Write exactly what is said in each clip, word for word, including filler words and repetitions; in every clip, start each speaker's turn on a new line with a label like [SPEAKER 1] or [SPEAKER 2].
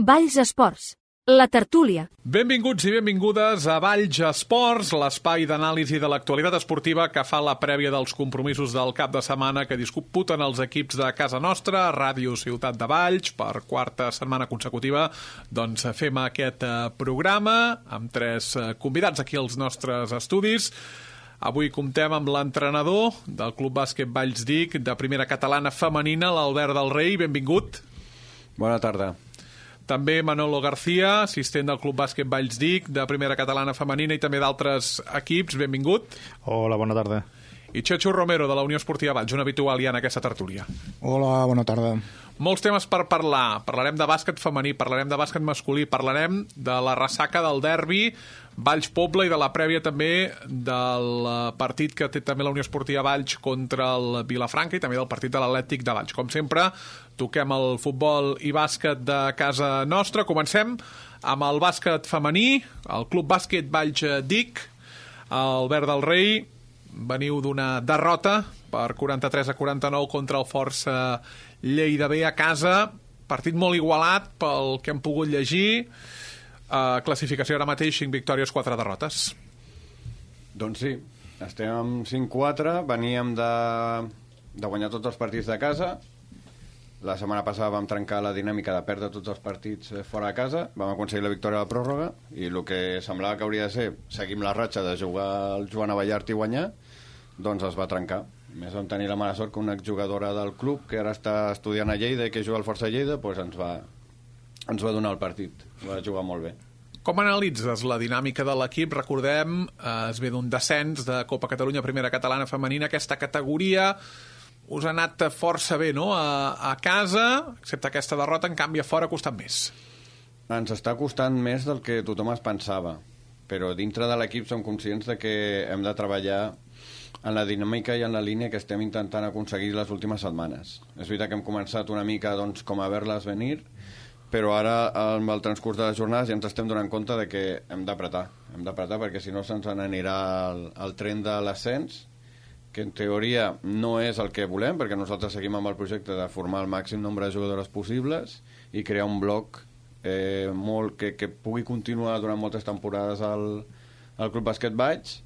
[SPEAKER 1] Valls Esports, la tertúlia.
[SPEAKER 2] Benvinguts i benvingudes a Valls Esports, l'espai d'anàlisi de l'actualitat esportiva que fa la prèvia dels compromisos del cap de setmana que disputen els equips de casa nostra, Ràdio Ciutat de Valls, per quarta setmana consecutiva. Doncs fem aquest programa amb tres convidats aquí als nostres estudis. Avui comptem amb l'entrenador del Club Bàsquet Valls Dic, de primera catalana femenina, l'Albert del Rei. Benvingut.
[SPEAKER 3] Bona tarda.
[SPEAKER 2] També Manolo García, assistent del Club Bàsquet Valls Dic, de primera catalana femenina i també d'altres equips. Benvingut.
[SPEAKER 4] Hola, bona tarda.
[SPEAKER 2] I Chechu Romero, de la Unió Esportiva Valls, un habitual ja en aquesta tertúlia.
[SPEAKER 5] Hola, bona tarda.
[SPEAKER 2] Molts temes per parlar. Parlarem de bàsquet femení, parlarem de bàsquet masculí, parlarem de la ressaca del derbi Valls-Pobla i de la prèvia també del partit que té també la Unió Esportiva Valls contra el Vilafranca i també del partit de l'Atlètic de Valls. Com sempre, toquem el futbol i bàsquet de casa nostra. Comencem amb el bàsquet femení, el Club Bàsquet Valls Dic. Albert del Rei, veniu d'una derrota per quaranta-tres a quaranta-nou contra el Força Lleida B a casa. Partit molt igualat pel que hem pogut llegir. Uh, classificació ara mateix, cinc victòries, quatre derrotes.
[SPEAKER 3] Doncs sí, estem amb cinc quatre, veníem de, de guanyar tots els partits de casa. La setmana passada vam trencar la dinàmica de perdre tots els partits fora de casa, vam aconseguir la victòria a la pròrroga i el que semblava que hauria de ser seguim la ratxa de jugar al Joan Abellart i guanyar, doncs es va trencar. A més vam tenir la mala sort que una exjugadora del club que ara està estudiant a Lleida i que juga al Força Lleida, doncs ens va, ens va donar el partit, va jugar molt bé.
[SPEAKER 2] Com analitzes la dinàmica de l'equip? Recordem, eh, es ve d'un descens de Copa Catalunya Primera Catalana Femenina, aquesta categoria us ha anat força bé, no?, a, a casa, excepte aquesta derrota, en canvi a fora ha costat més.
[SPEAKER 3] Ens està costant més del que tothom es pensava, però dintre de l'equip som conscients de que hem de treballar en la dinàmica i en la línia que estem intentant aconseguir les últimes setmanes. És veritat que hem començat una mica doncs, com a veure-les venir, però ara, amb el transcurs de les jornades, ja ens estem donant compte de que hem d'apretar. Hem d'apretar perquè si no se'ns n'anirà el, el tren de l'ascens, que en teoria no és el que volem, perquè nosaltres seguim amb el projecte de formar el màxim nombre de jugadores possibles i crear un bloc eh, molt, que, que pugui continuar durant moltes temporades al, al Club Bàsquet Valls,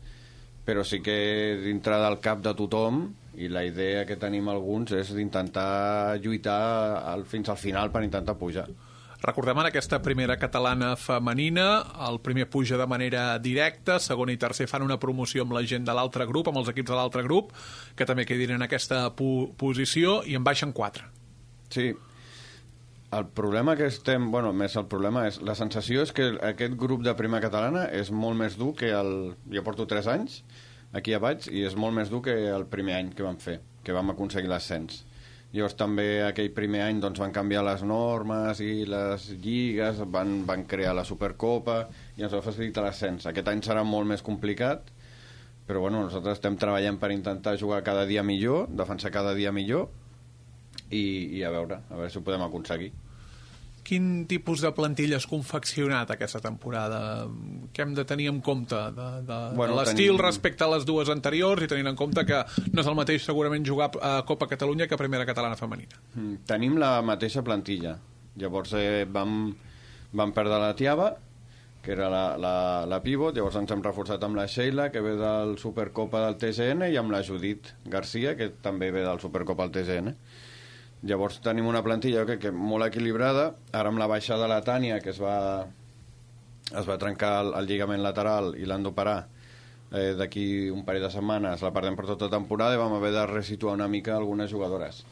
[SPEAKER 3] però sí que dintre del cap de tothom i la idea que tenim alguns és d'intentar lluitar al, fins al final per intentar pujar.
[SPEAKER 2] Recordem en aquesta primera catalana femenina, el primer puja de manera directa, segon i tercer fan una promoció amb la gent de l'altre grup, amb els equips de l'altre grup, que també quedin en aquesta pu- posició, i en baixen quatre.
[SPEAKER 3] Sí, el problema que estem... Bueno, més el problema és... La sensació és que aquest grup de primera catalana és molt més dur que el... Jo porto tres anys aquí a Valls i és molt més dur que el primer any que vam fer, que vam aconseguir l'ascens. Llavors també aquell primer any doncs, van canviar les normes i les lligues, van, van crear la Supercopa i ens va facilitar l'ascens. Aquest any serà molt més complicat, però bueno, nosaltres estem treballant per intentar jugar cada dia millor, defensar cada dia millor i, i a veure, a veure si ho podem aconseguir.
[SPEAKER 2] Quin tipus de plantilla has confeccionat aquesta temporada? Què hem de tenir en compte de, de,
[SPEAKER 3] bueno,
[SPEAKER 2] de l'estil
[SPEAKER 3] tenim...
[SPEAKER 2] respecte a les dues anteriors i tenint en compte que no és el mateix segurament jugar a Copa Catalunya que a Primera Catalana Femenina?
[SPEAKER 3] Mm, tenim la mateixa plantilla. Llavors eh, vam, vam perdre la Tiaba, que era la, la, la pivot, llavors ens hem reforçat amb la Sheila, que ve del Supercopa del T G N, i amb la Judit Garcia, que també ve del Supercopa del T G N. Llavors tenim una plantilla que, que molt equilibrada. Ara amb la baixada de la Tània, que es va, es va trencar el, el lligament lateral i l'han d'operar eh, d'aquí un parell de setmanes, la perdem per tota temporada i vam haver de resituar una mica algunes jugadores.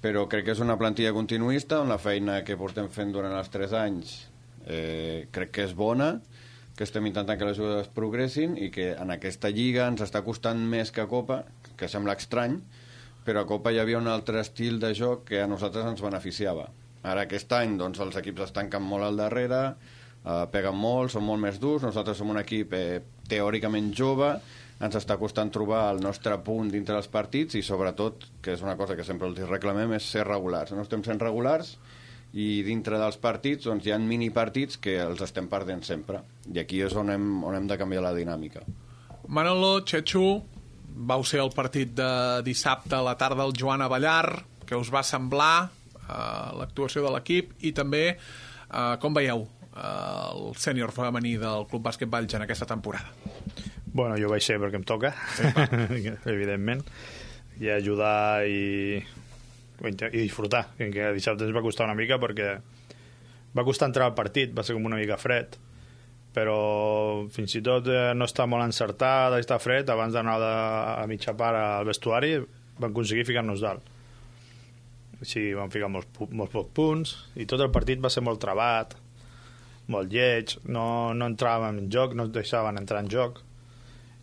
[SPEAKER 3] Però crec que és una plantilla continuista, on la feina que portem fent durant els tres anys eh, crec que és bona, que estem intentant que les jugadores progressin i que en aquesta lliga ens està costant més que a Copa, que sembla estrany, però a Copa hi havia un altre estil de joc que a nosaltres ens beneficiava. Ara aquest any doncs, els equips es tanquen molt al darrere, eh, peguen molt, són molt més durs, nosaltres som un equip eh, teòricament jove, ens està costant trobar el nostre punt dintre dels partits i sobretot, que és una cosa que sempre els reclamem, és ser regulars. No estem sent regulars i dintre dels partits doncs, hi ha minipartits que els estem perdent sempre i aquí és on hem, on hem de canviar la dinàmica.
[SPEAKER 2] Manolo, Chechu, vau ser el partit de dissabte a la tarda del Joan Abellart, que us va semblar eh, l'actuació de l'equip i també Uh, com veieu uh, el sènior femení del Club Bàsquet Valls en aquesta temporada?
[SPEAKER 4] Bueno, jo vaig ser perquè em toca, sí, evidentment, i ajudar i, i disfrutar, que dissabte ens va costar una mica perquè va costar entrar al partit, va ser com una mica fred, però fins i tot eh, no està molt encertada i està fred, abans d'anar a mitja part al vestuari van aconseguir ficar-nos dalt. Així van ficar molts, molts pocs punts i tot el partit va ser molt trabat, molt lleig, no, no entràvem en joc, no ens deixaven entrar en joc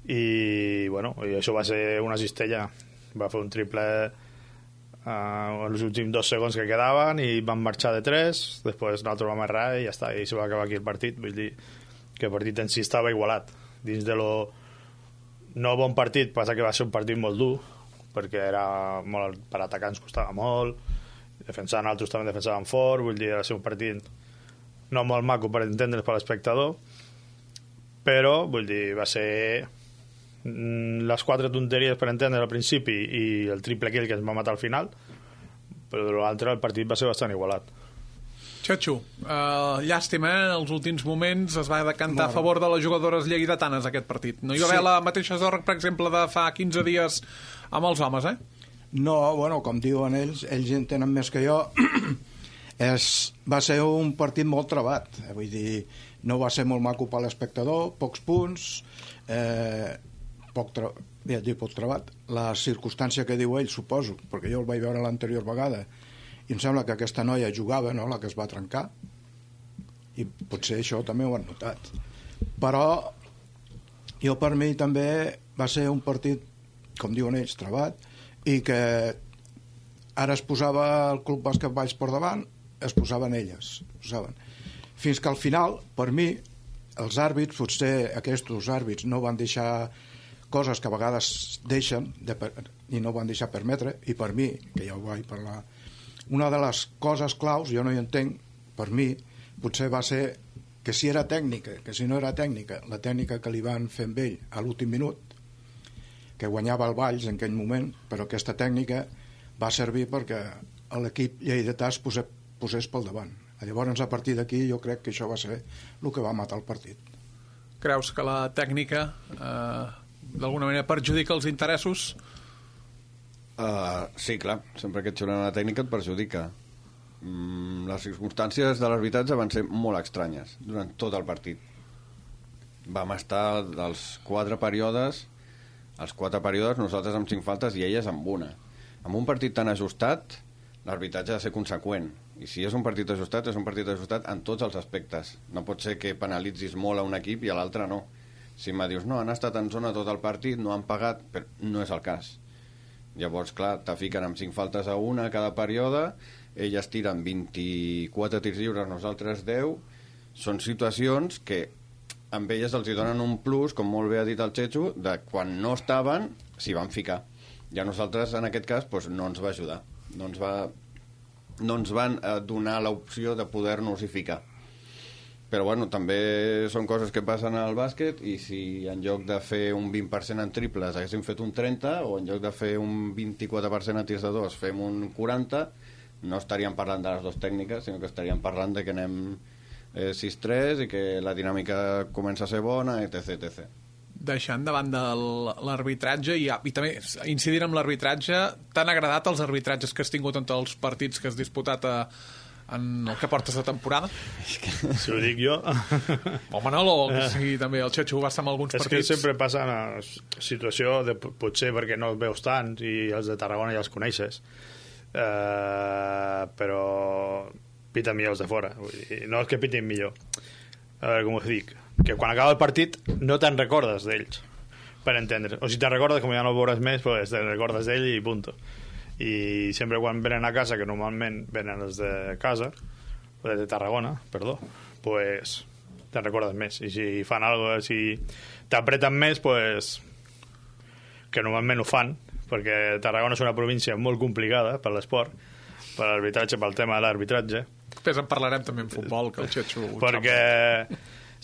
[SPEAKER 4] i, bueno, i això va ser una cistella. Va fer un triple uh, en els últims dos segons que quedaven i van marxar de tres, després nosaltres vam errar i ja està, i se va acabar aquí el partit. Vull dir que el partit en si estava igualat. Dins de lo no bon partit, passa que va ser un partit molt dur, perquè era molt, per atacar ens costava molt, defensar nosaltres també defensàvem fort, vull dir, era ser un partit no molt maco per entendre's per l'espectador, però, vull dir, va ser les quatre tonteries per entendre al principi i el triple kill que ens va matar al final, però de l'altre el partit va ser bastant igualat.
[SPEAKER 2] Xatxo, uh, llàstima, eh? Els últims moments es va decantar a favor de les jugadores lleidatanes aquest partit. No hi va haver sí. la mateixa zorra, per exemple, de fa quinze dies amb els homes, eh?
[SPEAKER 5] No, bueno, com diuen ells, ells en tenen més que jo. És, va ser un partit molt trebat. Vull dir, no va ser molt maco per l'espectador, pocs punts, eh, poc, tra... ja dic, poc trebat. La circumstància que diu ell, suposo, perquè jo el vaig veure l'anterior vegada, i em sembla que aquesta noia jugava, no?, la que es va trencar, i potser això també ho han notat. Però jo, per mi, també va ser un partit, com diuen ells, trebat, i que ara es posava el Club Bàsquet Valls per davant, es posaven elles, posaven. Fins que al final, per mi, els àrbits, potser aquests àrbits no van deixar coses que a vegades deixen de, i no van deixar permetre, i per mi, que ja ho vaig parlar, una de les coses claus, jo no hi entenc, per mi, potser va ser que si era tècnica, que si no era tècnica, la tècnica que li van fer amb ell a l'últim minut, que guanyava el Valls en aquell moment, però aquesta tècnica va servir perquè l'equip lleidatà es posés, posés pel davant. Llavors, a partir d'aquí, jo crec que això va ser el que va matar el partit.
[SPEAKER 2] Creus que la tècnica eh, d'alguna manera perjudica els interessos?
[SPEAKER 3] Uh, sí, clar, sempre que et xulen una tècnica et perjudica. Mm, les circumstàncies de l'arbitratge van ser molt estranyes durant tot el partit. Vam estar dels quatre períodes, els quatre períodes nosaltres amb cinc faltes i elles amb una. Amb un partit tan ajustat, l'arbitratge ha de ser conseqüent. I si és un partit ajustat, és un partit ajustat en tots els aspectes. No pot ser que penalitzis molt a un equip i a l'altre no. Si em dius, no, han estat en zona tot el partit, no han pagat, però no és el cas. Llavors, clar, te fiquen amb cinc faltes a una a cada període, elles tiren vint-i-quatre tirs lliures, nosaltres deu. Són situacions que amb elles els hi donen un plus, com molt bé ha dit el Xetxo, de quan no estaven, s'hi van ficar. I a nosaltres, en aquest cas, doncs, no ens va ajudar. No ens, va, no ens van donar l'opció de poder-nos-hi ficar. Però, bueno, també són coses que passen al bàsquet i si en lloc de fer un vint per cent en triples haguéssim fet un trenta o en lloc de fer un vint-i-quatre per cent en tirs de dos fem un quaranta, no estaríem parlant de les dues tècniques, sinó que estaríem parlant de que anem eh, sis tres i que la dinàmica comença a ser bona, etc etcètera.
[SPEAKER 2] Deixant de banda l'arbitratge i, i també incidir en l'arbitratge, t'han agradat els arbitratges que has tingut en tots els partits que has disputat a en el que portes de temporada?
[SPEAKER 4] Si ho dic jo...
[SPEAKER 2] O Manolo, que sí, també el Xetxo va estar en alguns
[SPEAKER 4] és
[SPEAKER 2] partits.
[SPEAKER 4] És que sempre passa una situació de, potser perquè no els veus tant i els de Tarragona ja els coneixes, uh, però piten millor els de fora. Vull dir, no és que pitin millor, a veure com ho dic, que quan acaba el partit no te'n recordes d'ells, per entendre, o si te'n recordes, com ja no el veuràs més, pues te'n recordes d'ell i punto. I sempre quan venen a casa, que normalment venen els de casa, de Tarragona, perdó, pues te'n recordes més. I si fan alguna cosa, si t'apreten més, pues que normalment ho fan, perquè Tarragona és una província molt complicada per l'esport, per l'arbitratge, pel tema de l'arbitratge.
[SPEAKER 2] Després en parlarem també en futbol, que el Xetxo...
[SPEAKER 4] Perquè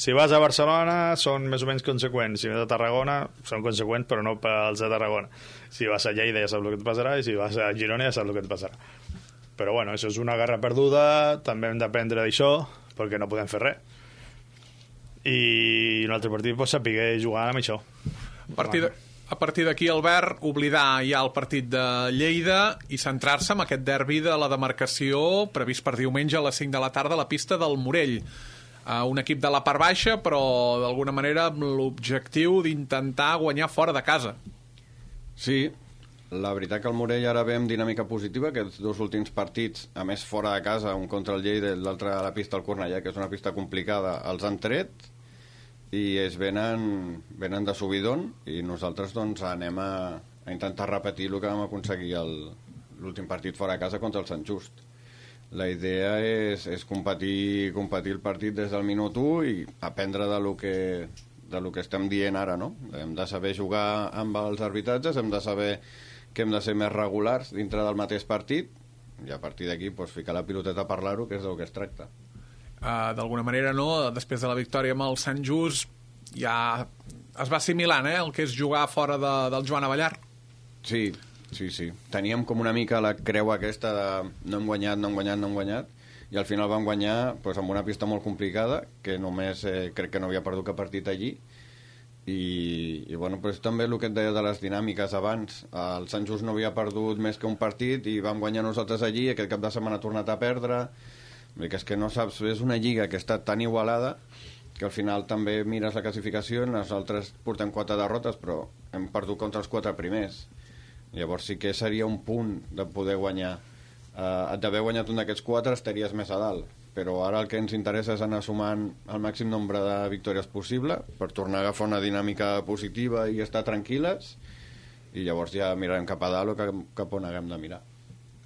[SPEAKER 4] si vas a Barcelona són més o menys conseqüents, si vas a Tarragona són conseqüents però no pels de Tarragona, si vas a Lleida ja saps el que et passarà i si vas a Girona ja saps el que et passarà. Però bueno, això és una guerra perduda, també hem d'aprendre d'això, perquè no podem fer res. I un altre partit pues, sapigué jugar amb això.
[SPEAKER 2] A partir de, a partir d'aquí, Albert, oblidar ja el partit de Lleida i centrar-se en aquest derbi de la demarcació previst per diumenge a les cinc de la tarda a la pista del Morell. Uh, un equip de la part baixa, però d'alguna manera amb l'objectiu d'intentar guanyar fora de casa.
[SPEAKER 3] Sí, la veritat que el Morell ara ve amb dinàmica positiva, que els dos últims partits, a més fora de casa, un contra el Lleida i l'altre a la pista del Cornellà, que és una pista complicada, els han tret i es venen, venen de subidon, i nosaltres doncs anem a, a intentar repetir el que vam aconseguir l'últim partit fora de casa contra el Sant Just. La idea és, és competir, competir el partit des del minut u i aprendre de lo que, de lo que estem dient ara, no? Hem de saber jugar amb els arbitratges, hem de saber que hem de ser més regulars dintre del mateix partit i a partir d'aquí pues, ficar la piloteta a parlar-ho, que és del que es tracta.
[SPEAKER 2] Uh, d'alguna manera, no? Després de la victòria amb el Sant Just ja es va assimilant, eh? El que és jugar fora de, del Joan Avellar.
[SPEAKER 3] Sí, sí, sí. Teníem com una mica la creu aquesta de no hem guanyat, no hem guanyat, no hem guanyat, i al final vam guanyar pues, amb una pista molt complicada, que només eh, crec que no havia perdut cap partit allí, i, i bueno, pues, també el que et deia de les dinàmiques abans, el Sant Just no havia perdut més que un partit i vam guanyar nosaltres allí, i aquest cap de setmana ha tornat a perdre. Que és que no saps, és una lliga que està tan igualada que al final també mires la classificació, nosaltres portem quatre derrotes però hem perdut contra els quatre primers. Llavors sí que seria un punt de poder guanyar. Uh, d'haver guanyat un d'aquests quatre estaries més a dalt, però ara el que ens interessa és anar sumant el màxim nombre de victòries possible per tornar a agafar una dinàmica positiva i estar tranquil·les, i llavors ja mirarem cap a dalt o cap, cap on haguem de mirar.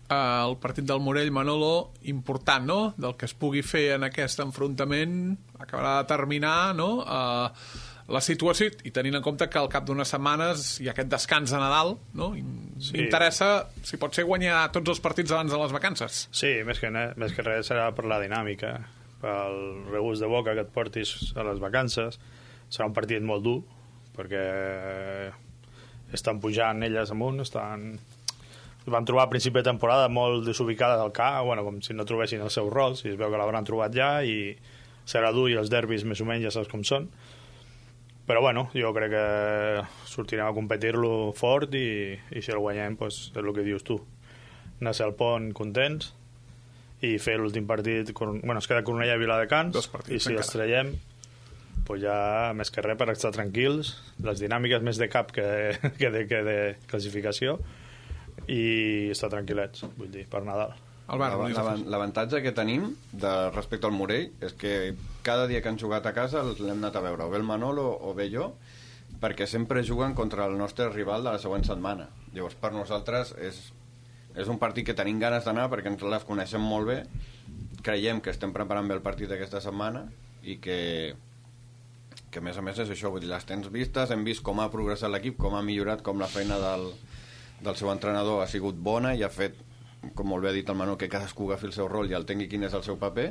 [SPEAKER 2] Uh, el partit del Morell, Manolo, important, no?, del que es pugui fer en aquest enfrontament, acabarà de terminar, no?, uh, la situació, i tenint en compte que al cap d'unes setmanes hi ha aquest descans de Nadal, no?, sí. Interessa, si pot ser, guanyar tots els partits abans de les vacances.
[SPEAKER 4] Sí, més que, més que res serà per la dinàmica, pel regust de boca que et portis a les vacances. Serà un partit molt dur, perquè estan pujant elles amunt, estan... Es van trobar a principi de temporada molt desubicades al camp, bueno, com si no trobessin els seus rols, i es veu que l'hauran trobat ja, i serà dur, i els derbis més o menys ja saps com són. Però bueno, jo crec que sortirem a competir-lo fort, i, i si el guanyem, pues, és el que dius tu. Anar al pont contents i fer l'últim partit, bueno, es queda Cornellà i Viladecans, i si els traiem, pues ja més que res per estar tranquils, les dinàmiques més de cap que, que, de, que de classificació, i estar tranquil·lets, vull dir, per Nadal.
[SPEAKER 3] L'avantatge que tenim de, respecte al Morell és que cada dia que han jugat a casa l'hem anat a veure, o bé el Manolo o bé jo, perquè sempre juguen contra el nostre rival de la següent setmana. Llavors per nosaltres és, és un partit que tenim ganes d'anar perquè ens les coneixem molt bé, creiem que estem preparant bé el partit d'aquesta setmana i que, que a més a més és això, vull dir, les tens vistes, hem vist com ha progressat l'equip, com ha millorat, com la feina del del seu entrenador ha sigut bona i ha fet, com molt bé ha dit el Manol, que cadascú agafi el seu rol i el tingui quin és el seu paper,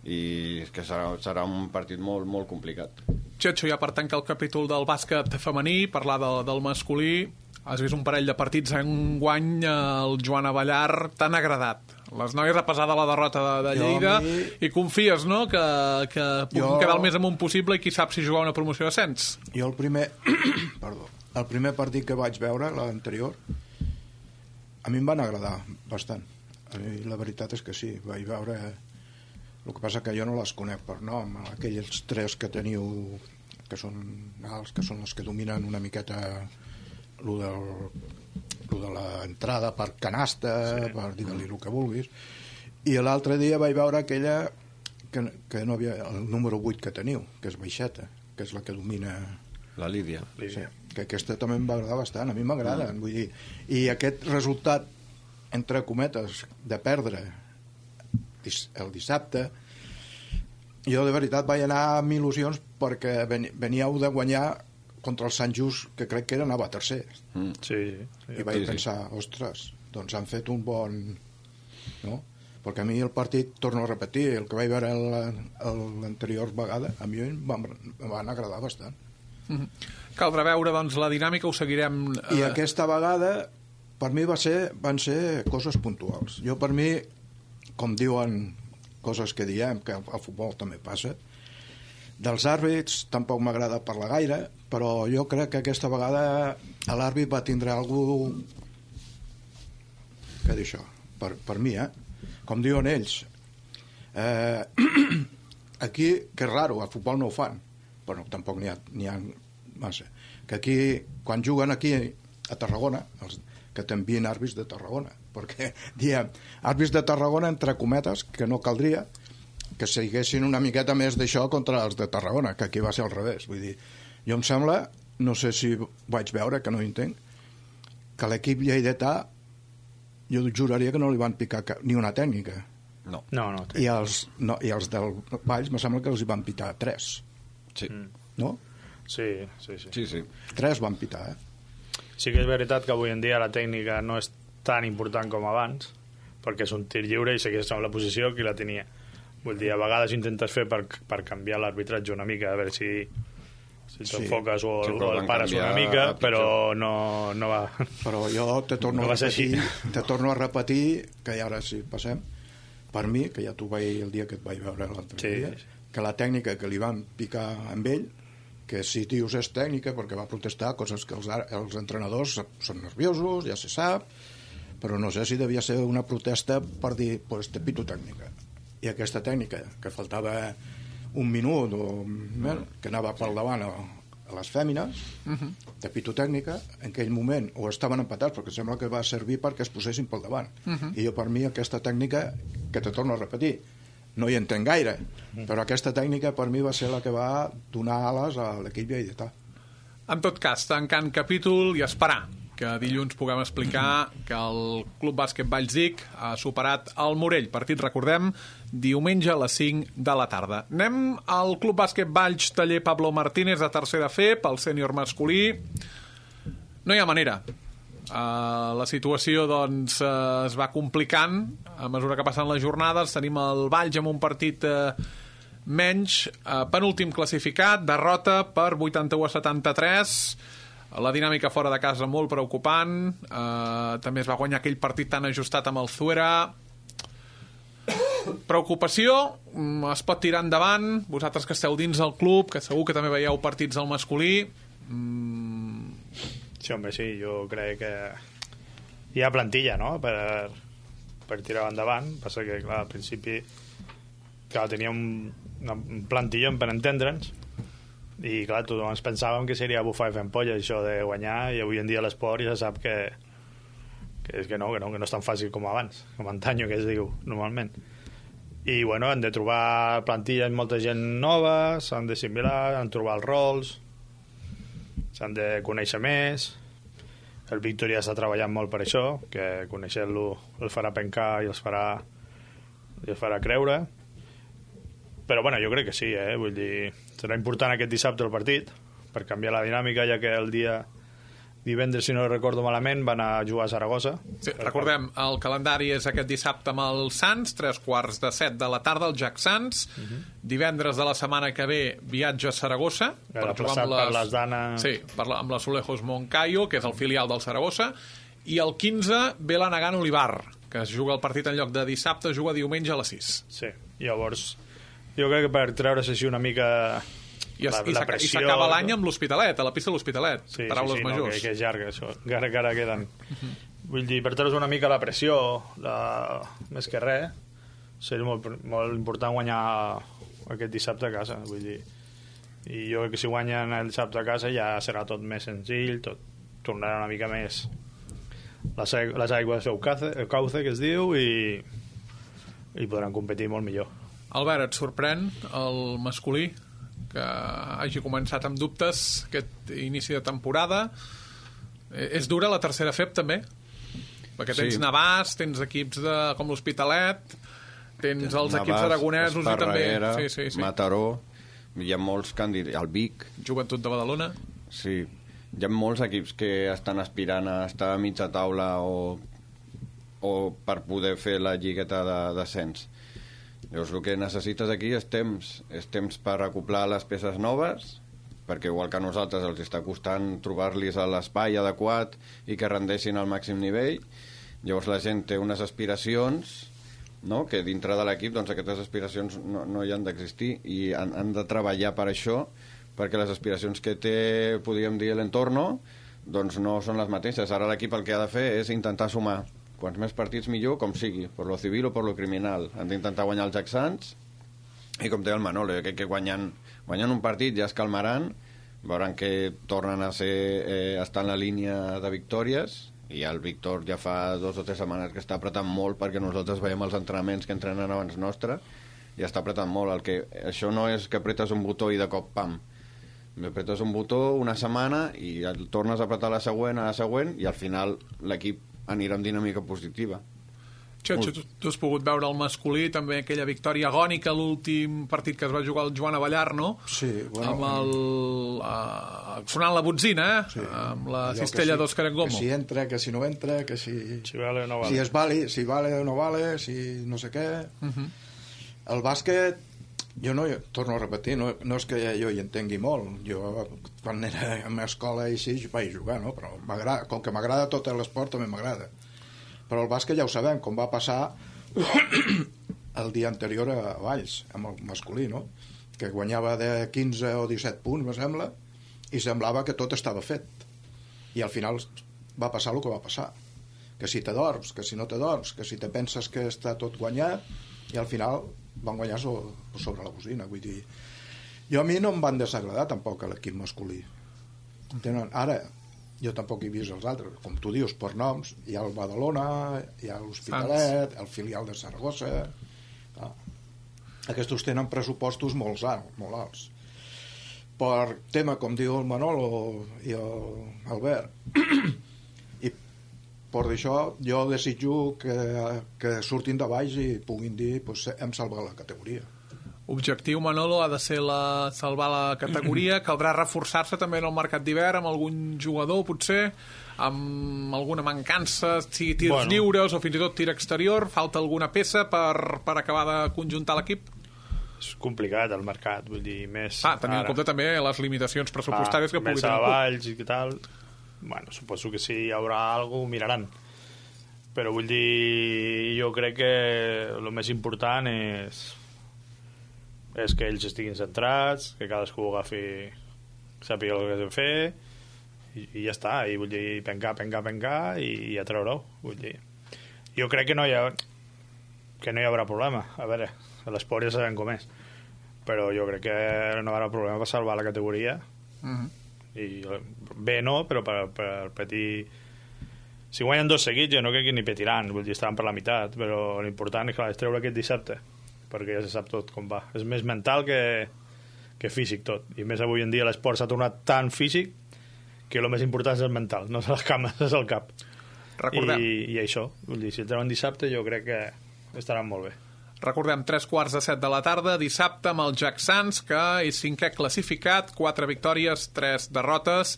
[SPEAKER 3] i que serà, serà un partit molt, molt complicat.
[SPEAKER 2] Xetxo, ja per tancar el capítol del bàsquet femení, parlar de, del masculí, has vist un parell de partits enguany el Joan Avellar t'han agradat. Les noies, a pesar de la derrota de, de Lleida, mi... i confies, no?, que, que puguin jo... quedar el més amunt possible i qui sap si jugar una promoció d'ascens.
[SPEAKER 5] Jo el primer... Perdó. El primer partit que vaig veure, l'anterior, a mi em van agradar bastant. A mi la veritat és que sí, vaig veure... El que passa que jo no les conec per nom, aquells tres que teniu, que són alts, que són els que dominen una miqueta lo del, lo de l'entrada per canasta, sí. Per dir-li el que vulguis. I l'altre dia vaig veure aquella que, que no havia... el número vuit que teniu, que és baixeta, que és la que domina...
[SPEAKER 3] La Lídia.
[SPEAKER 5] Sí, que aquesta també em va agradar bastant, a mi m'agrada, mm. vull dir, i aquest resultat, entre cometes, de perdre el dissabte, jo de veritat vaig anar amb il·lusions perquè veníeu de guanyar contra el Sant Just, que crec que era anava a tercer.
[SPEAKER 4] Mm. Sí, sí.
[SPEAKER 5] I vaig
[SPEAKER 3] sí,
[SPEAKER 5] pensar, sí. Ostres, doncs han fet un bon... No? Perquè a mi el partit, torno a repetir, el que vaig veure l'anterior vegada, a mi em van, em van agradar bastant.
[SPEAKER 2] Mm-hmm. Caldrà veure, doncs, la dinàmica, ho seguirem... Eh...
[SPEAKER 5] I aquesta vegada, per mi va ser, van ser coses puntuals. Jo, per mi, com diuen coses que diem, que al futbol també passa. Dels àrbits tampoc m'agrada parlar gaire, però jo crec que aquesta vegada l'àrbit va tindre algú que dir això, per, per mi, eh? Com diuen ells, eh, aquí, que és raro, al futbol no ho fan, però tampoc n'hi ha, n'hi ha massa, que aquí, quan juguen aquí a Tarragona, els, que t'envien àrbits de Tarragona, perquè diem àrbits de Tarragona entre cometes, que no caldria que seguessin una miqueta més d'això contra els de Tarragona, que aquí va ser al revés. Vull dir, jo em sembla, no sé si vaig veure, que no ho entenc, que l'equip lleidatà jo juraria que no li van picar cap, ni una tècnica.
[SPEAKER 3] No.
[SPEAKER 4] No, no.
[SPEAKER 5] I els, no, i els del Valls me sembla que els hi van pitar tres.
[SPEAKER 3] Sí.
[SPEAKER 5] No?
[SPEAKER 4] Sí, sí, sí.
[SPEAKER 3] Sí, sí.
[SPEAKER 5] Tres van pitar, eh?
[SPEAKER 4] Sí que és veritat que avui en dia la tècnica no és tan important com abans, perquè és un tir lliure i segueix amb la posició que la tenia. Vull dir, a vegades intentes fer per, per canviar l'arbitratge una mica, a veure si, si t'enfoques
[SPEAKER 5] sí.
[SPEAKER 4] o,
[SPEAKER 3] Sí,
[SPEAKER 4] o el pares una mica, però no, no va...
[SPEAKER 5] Però jo te torno,
[SPEAKER 4] no
[SPEAKER 5] a
[SPEAKER 4] va ser
[SPEAKER 5] repetir,
[SPEAKER 4] així.
[SPEAKER 5] te torno a repetir, que ara sí passem, per mi, que ja t'ho vaig el dia que et vaig veure l'altre
[SPEAKER 4] Sí.
[SPEAKER 5] dia, que la tècnica que li van picar amb ell, que si dius és tècnica perquè va protestar, coses que els, els entrenadors són nerviosos, ja se sap, però no sé si devia ser una protesta per dir, pues te pito tècnica. I aquesta tècnica, que faltava un minut o bueno, que anava pel davant a, a les fèmines, uh-huh. de pito tècnica, en aquell moment o estaven empatats, perquè sembla que va servir perquè es posessin pel davant. Uh-huh. I jo, per mi, aquesta tècnica, que te torno a repetir, no hi entenc gaire, però aquesta tècnica per mi va ser la que va donar ales a l'equip lleidatà.
[SPEAKER 2] En tot cas, tancant capítol i esperar que dilluns puguem explicar que el Club Bàsquet Vallsdic ha superat el Morell. Partit, recordem, diumenge a les cinc de la tarda. Anem al Club Bàsquet Valls Taller Pablo Martínez de tercera F, pel sènior masculí. No hi ha manera. Uh, la situació doncs, uh, es va complicant a mesura que passen les jornades. Tenim el Valls amb un partit uh, menys, uh, penúltim classificat, derrota per vuitanta-u a setanta-tres. La dinàmica fora de casa molt preocupant. Uh, també es va guanyar aquell partit tan ajustat amb el Zuera. Preocupació, es pot tirar endavant. Vosaltres que esteu dins del club, que segur que també veieu partits al masculí. Mm.
[SPEAKER 4] Sí, home, sí, jo crec que hi ha plantilla, no?, per, per tirar endavant. Passa que, clar, al principi clar, teníem una plantilla per entendre'ns i, clar, tothom ens pensàvem que seria bufar i fer ampolla això de guanyar, i avui en dia l'esport ja sap que, que, és que, no, que, no, que no és tan fàcil com abans, com antanyo, que es diu normalment. I, bueno, han de trobar plantilles, molta gent nova, s'han d'assimilar, han de trobar els rols, s'han de conèixer més. El Víctor ja està treballant molt per això, que conèixer-lo el farà pencar i els farà, i els farà creure. Però bueno, jo crec que sí, eh? Vull dir, serà important aquest dissabte el partit per canviar la dinàmica, ja que el dia divendres, si no recordo malament, van a jugar a Saragossa.
[SPEAKER 2] Sí, recordem, el calendari és aquest dissabte amb el Sants, tres quarts de set de la tarda, el Jack Sants. Uh-huh. Divendres de la setmana que ve, viatge a Saragossa.
[SPEAKER 4] Per jugar amb les... per les danes...
[SPEAKER 2] Sí, per la, amb la Solejos Moncayo, que és el filial del Saragossa. I el quinze ve la Nagant Olivar, que es juga el partit en lloc de dissabte, juga diumenge a les sis.
[SPEAKER 4] Sí, llavors jo crec que per treure's així una mica...
[SPEAKER 2] I, es, la, la pressió... I s'acaba l'any amb l'Hospitalet, a la pista de l'Hospitalet.
[SPEAKER 4] Sí,
[SPEAKER 2] paraules
[SPEAKER 4] sí, sí,
[SPEAKER 2] majors.
[SPEAKER 4] no, que, que és llarga, això. Encara que ara queden. Uh-huh. Vull dir, per treure's una mica la pressió, la... més que res, seria molt, molt important guanyar aquest dissabte a casa. Vull dir, i jo crec que si guanyen el dissabte a casa ja serà tot més senzill, tot tornarà una mica més les, les aigües del cauce, el cauce, que es diu, i, i podran competir molt millor.
[SPEAKER 2] Albert, et sorprèn el masculí que hagi començat amb dubtes aquest inici de temporada? És dura la tercera F E P també? Perquè tens sí. Navàs, tens equips de, com l'Hospitalet, tens els Navàs, equips aragonesos i també... Sí, sí, sí.
[SPEAKER 3] Mataró, hi ha molts candidats, el Vic...
[SPEAKER 2] Joventut de Badalona.
[SPEAKER 3] Sí, hi ha molts equips que estan aspirant a estar a mitja taula o, o per poder fer la lligueta de descens. Llavors, el que necessites aquí és temps, és temps per acoplar les peces noves, perquè igual que a nosaltres els està costant trobar-los a l'espai adequat i que rendeixin al màxim nivell. Llavors la gent té unes aspiracions no? Que dintre de l'equip doncs, aquestes aspiracions no, no hi han d'existir i han, han de treballar per això, perquè les aspiracions que té, podríem dir, l'entorno, doncs no són les mateixes. Ara l'equip el que ha de fer és intentar sumar quants més partits millor, com sigui, per lo civil o per lo criminal. Han d'intentar guanyar els Jacksans i, com deia el Manolo, jo crec que guanyant, guanyant un partit ja es calmaran, veuran que tornen a ser, eh, estar en la línia de victòries, i el Víctor ja fa dos o tres setmanes que està apretant molt perquè nosaltres veiem els entrenaments que entrenen abans nostre i està apretant molt. El que, això no és que apretes un botó i de cop, pam. Apretes un botó una setmana i el tornes a apretar la següent, a la següent, i al final l'equip anirà amb dinàmica positiva.
[SPEAKER 2] Xotxo, tu, tu has pogut veure el masculí, també aquella victòria agònica, l'últim partit que es va jugar el Joan Avellar, no?
[SPEAKER 5] Sí, bueno...
[SPEAKER 2] Amb el... Uh, sonant la botzina, eh? Sí. Amb la
[SPEAKER 5] Allò
[SPEAKER 2] cistella
[SPEAKER 5] si,
[SPEAKER 2] d'Òscar Engomo.
[SPEAKER 5] Que si entra, que si no entra, que si...
[SPEAKER 4] Si vale o no vale.
[SPEAKER 5] Si es vale, si vale o no vale, si no sé què... Uh -huh. El bàsquet, jo no, torno a repetir, no, no és que jo hi entengui molt. Jo, quan era a l'escola i així, vaig jugar, no? Però com que m'agrada tot l'esport, també m'agrada. Però el bàsquet ja ho sabem, com va passar el dia anterior a Valls, amb el masculí, no? Que guanyava de quinze o disset punts, me sembla, i semblava que tot estava fet. I al final va passar el que va passar. Que si t'adorms, que si no t'adorms, que si te penses que està tot guanyat, i al final van guanyar sobre la bocina. Vull dir, jo a mi no em van desagradar tampoc l'equip masculí. Tenen, ara, jo tampoc he vist els altres, com tu dius, per noms, hi ha el Badalona, hi ha l'Hospitalet, el filial de Saragossa. Ah. Aquests tenen pressupostos molt alts, molt alts. Per tema, com diu el Manolo i l'Albert, i per això jo desitjo que, que surtin de baix i puguin dir pues, hem salvat la categoria.
[SPEAKER 2] Objectiu, Manolo, ha de ser la, salvar la categoria. Caldrà reforçar-se també en el mercat d'hivern amb algun jugador, potser, amb alguna mancança, sigui tirs bueno. lliures o fins i tot tir exterior. Falta alguna peça per, per acabar de conjuntar l'equip?
[SPEAKER 4] És complicat el mercat, vull dir, més...
[SPEAKER 2] Ah, tenint en compte també les limitacions pressupostàries ah, que pugui tenir.
[SPEAKER 4] Més a Valls i tal... Bueno, suposo que si hi haurà alguna cosa, miraran. Però vull dir, jo crec que el més important és és que ells estiguin centrats, que cadascú agafi, sàpiga el que has de fer i, i ja està, i vull dir, pencar, pencar, pencar i, i a treure-ho, vull dir. Jo crec que no hi ha que no hi haurà problema, a veure, l'esport ja sabem com és, però jo crec que no hi haurà problema per salvar la categoria. Uh-huh. I bé no, però per, per petir, si guanyen dos seguits jo no crec que ni petiran, vull dir, estaran per la meitat, però l'important és que l'has treure aquest dissabte, perquè ja se sap tot com va. És més mental que, que físic tot, i més avui en dia l'esport s'ha tornat tan físic que el més important és el mental, no és les cames, és el cap.
[SPEAKER 2] Recordem.
[SPEAKER 4] I, i això, vull dir, si el treuen dissabte jo crec que estaran molt bé.
[SPEAKER 2] Recordem, tres quarts de set de la tarda, dissabte, amb el Jacksans, que és cinquè classificat, quatre victòries, tres derrotes.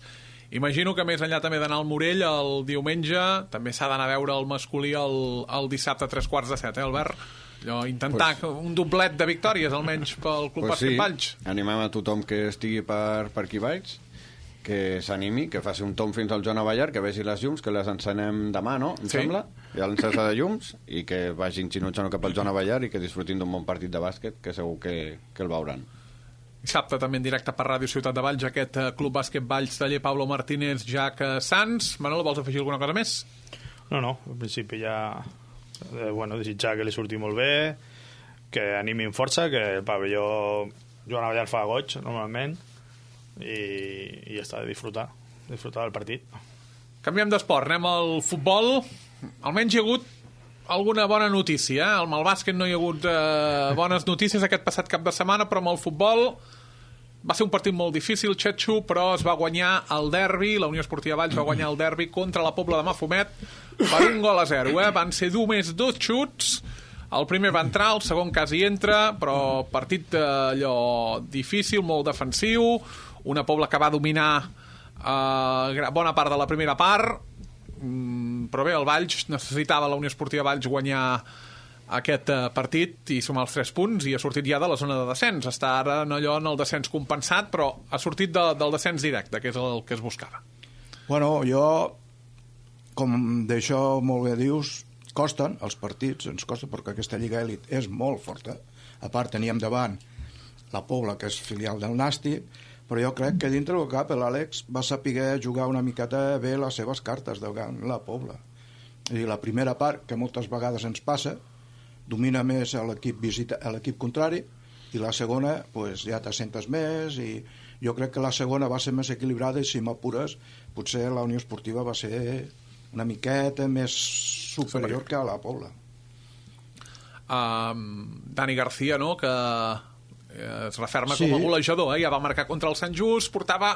[SPEAKER 2] Imagino que més enllà també d'anar al Morell el diumenge, també s'ha d'anar a veure el masculí el, el dissabte a tres quarts de set, eh, Albert? Allò, intentar pues, un doblet de victòries, almenys pel Club
[SPEAKER 3] pues
[SPEAKER 2] Bàsquet
[SPEAKER 3] sí.
[SPEAKER 2] Valls.
[SPEAKER 3] Animem a tothom que estigui per, per aquí baix, que s'animi, que faci un tom fins al Joan Avellar, que vegi les llums, que les encenem demà, no? Em
[SPEAKER 2] sí.
[SPEAKER 3] sembla? Hi ha l'encesa de llums, i que vagin xinutxant cap al Joan Avellar i que disfrutin d'un bon partit de bàsquet, que segur que, que el veuran.
[SPEAKER 2] Dissabte també en directe per Ràdio Ciutat de Valls, aquest Club Bàsquet Valls, taller Pablo Martínez, Jack Sans. Manolo, vols afegir alguna cosa més?
[SPEAKER 4] No, no, en principi ja eh, bueno, desitjar que li surti molt bé, que animin força, que el pavelló Joan Avellar fa goig normalment, i, i ja està, de disfrutar disfrutar del partit.
[SPEAKER 2] Canviem d'esport, anem al futbol. Almenys hi ha hagut alguna bona notícia, eh? Amb el bàsquet no hi ha hagut eh, bones notícies aquest passat cap de setmana, però amb el futbol va ser un partit molt difícil, Xetxo, però es va guanyar el derbi, la Unió Esportiva Valls va guanyar el derbi contra la Pobla de Mafumet per un gol a zero, eh? Van ser només dos xuts. El primer va entrar, el segon quasi entra, però partit allò difícil, molt defensiu, una Pobla que va dominar eh, bona part de la primera part, mm, però bé, el Valls necessitava la Unió Esportiva Valls guanyar aquest eh, partit i sumar els tres punts, i ha sortit ja de la zona de descens. Està ara no allò en el descens compensat, però ha sortit de, del descens directe, que és el que es buscava.
[SPEAKER 5] Bueno, jo, com d'això molt bé dius, costen els partits, ens costa, perquè aquesta Lliga Elit és molt forta. A part, teníem davant la Pobla, que és filial del Nàstic, però jo crec que dintre del cap l'Àlex va saber jugar una miqueta bé les seves cartes davant la Pobla. I la primera part, que moltes vegades ens passa, domina més l'equip visita, l'equip contrari, i la segona pues, ja t'assentes més, i jo crec que la segona va ser més equilibrada, i si m'apures potser la Unió Esportiva va ser una miqueta més superior que a la Pobla.
[SPEAKER 2] Um, Dani García, no?, que es referma
[SPEAKER 5] Sí.
[SPEAKER 2] com a golejador, eh? Ja va marcar contra el Sant Just, portava